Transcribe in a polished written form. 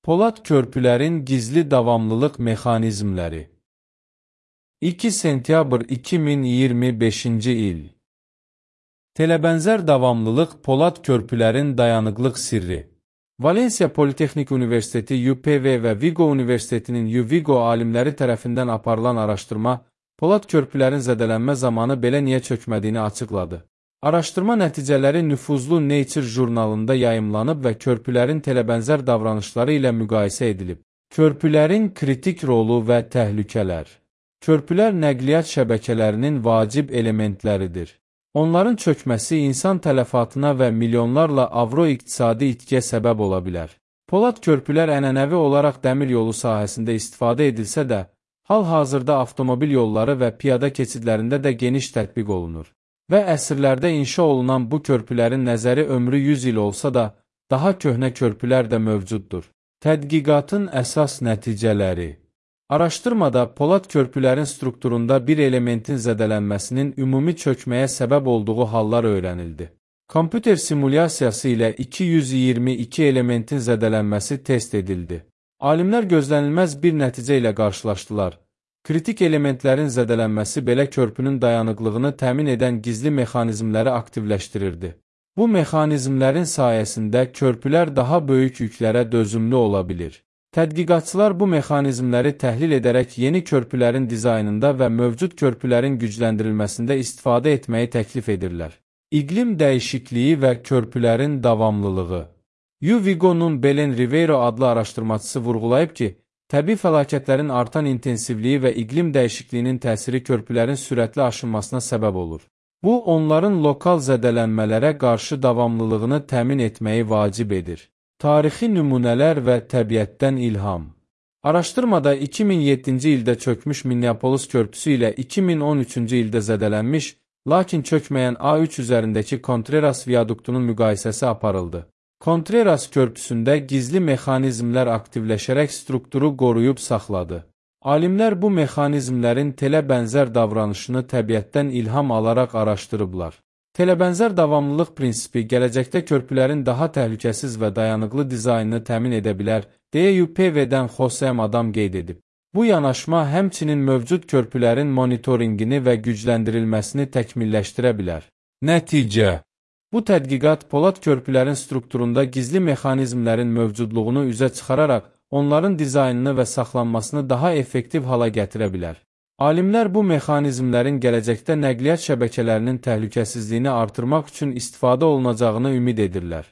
Polad körpülərin gizli davamlılıq mexanizmləri. 2 sentyabr 2025-ci il. Telebənzər davamlılıq polad körpülərin dayanıqlıq sirri. Valensiya Politexnik Universiteti UPV və Vigo Universitetinin UVigo alimləri tərəfindən aparılan araşdırma, polad körpülərin zədələnmə zamanı belə niyə çökmədiyini açıqladı. Araşdırma nəticələri nüfuzlu Nature jurnalında yayımlanıb və körpülərin telebənzər davranışları ilə müqayisə edilib. Körpülərin kritik rolu və təhlükələr. Körpülər nəqliyyat şəbəkələrinin vacib elementləridir. Onların çökməsi insan tələfatına və milyonlarla avro iqtisadi itkiyə səbəb ola bilər. Polad körpülər ənənəvi olaraq dəmir yolu sahəsində istifadə edilsə də, hal-hazırda avtomobil yolları və piyada keçidlərində də geniş tətbiq olunur. Və əsrlərdə inşa olunan bu körpülərin nəzəri ömrü 100 il olsa da, daha köhnə körpülər də mövcuddur. Tədqiqatın əsas nəticələri. Araşdırmada polad körpülərin strukturunda bir elementin zədələnməsinin ümumi çökməyə səbəb olduğu hallar öyrənildi. Kompüter simulyasiyası ilə 222 elementin zədələnməsi test edildi. Alimlər gözlənilməz bir nəticə ilə qarşılaşdılar. Kritik elementlərin zədələnməsi belə körpünün dayanıqlığını təmin edən gizli mexanizmləri aktivləşdirirdi. Bu mexanizmlərin sayəsində körpülər daha böyük yüklərə dözümlü ola bilir. Tədqiqatçılar bu mexanizmləri təhlil edərək yeni körpülərin dizaynında və mövcud körpülərin gücləndirilməsində istifadə etməyi təklif edirlər. İqlim dəyişikliyi və körpülərin davamlılığı. UVigo'nun Belen Ribeiro adlı araşdırmacısı vurğulayıb ki, təbii fəlakətlərin artan intensivliyi və iqlim dəyişikliyinin təsiri körpülərin sürətli aşınmasına səbəb olur. Bu, onların lokal zədələnmələrə qarşı davamlılığını təmin etməyi vacib edir. Tarixi nümunələr və təbiətdən ilham. Araşdırmada 2007-ci ildə çökmüş Minneapolis körpüsü ilə 2013-cü ildə zədələnmiş, lakin çökməyən A3 üzərindəki Contreras viaduktunun müqayisəsi aparıldı. Contreras körpüsündə gizli mexanizmlər aktivləşərək strukturu qoruyub saxladı. Alimlər bu mexanizmlərin telebənzər davranışını təbiətdən ilham alaraq araşdırıblar. Telebənzər davamlılıq prinsipi gələcəkdə körpülərin daha təhlükəsiz və dayanıqlı dizaynını təmin edə bilər, deyə UPV-dən José Adam qeyd edib. Bu yanaşma həmçinin mövcud körpülərin monitorinqini və gücləndirilməsini təkmilləşdirə bilər. Nəticə. Bu tədqiqat polad körpülərin strukturunda gizli mexanizmlərin mövcudluğunu üzə çıxararaq, onların dizaynını və saxlanmasını daha effektiv hala gətirə bilər. Alimlər bu mexanizmlərin gələcəkdə nəqliyyat şəbəkələrinin təhlükəsizliyini artırmaq üçün istifadə olunacağını ümid edirlər.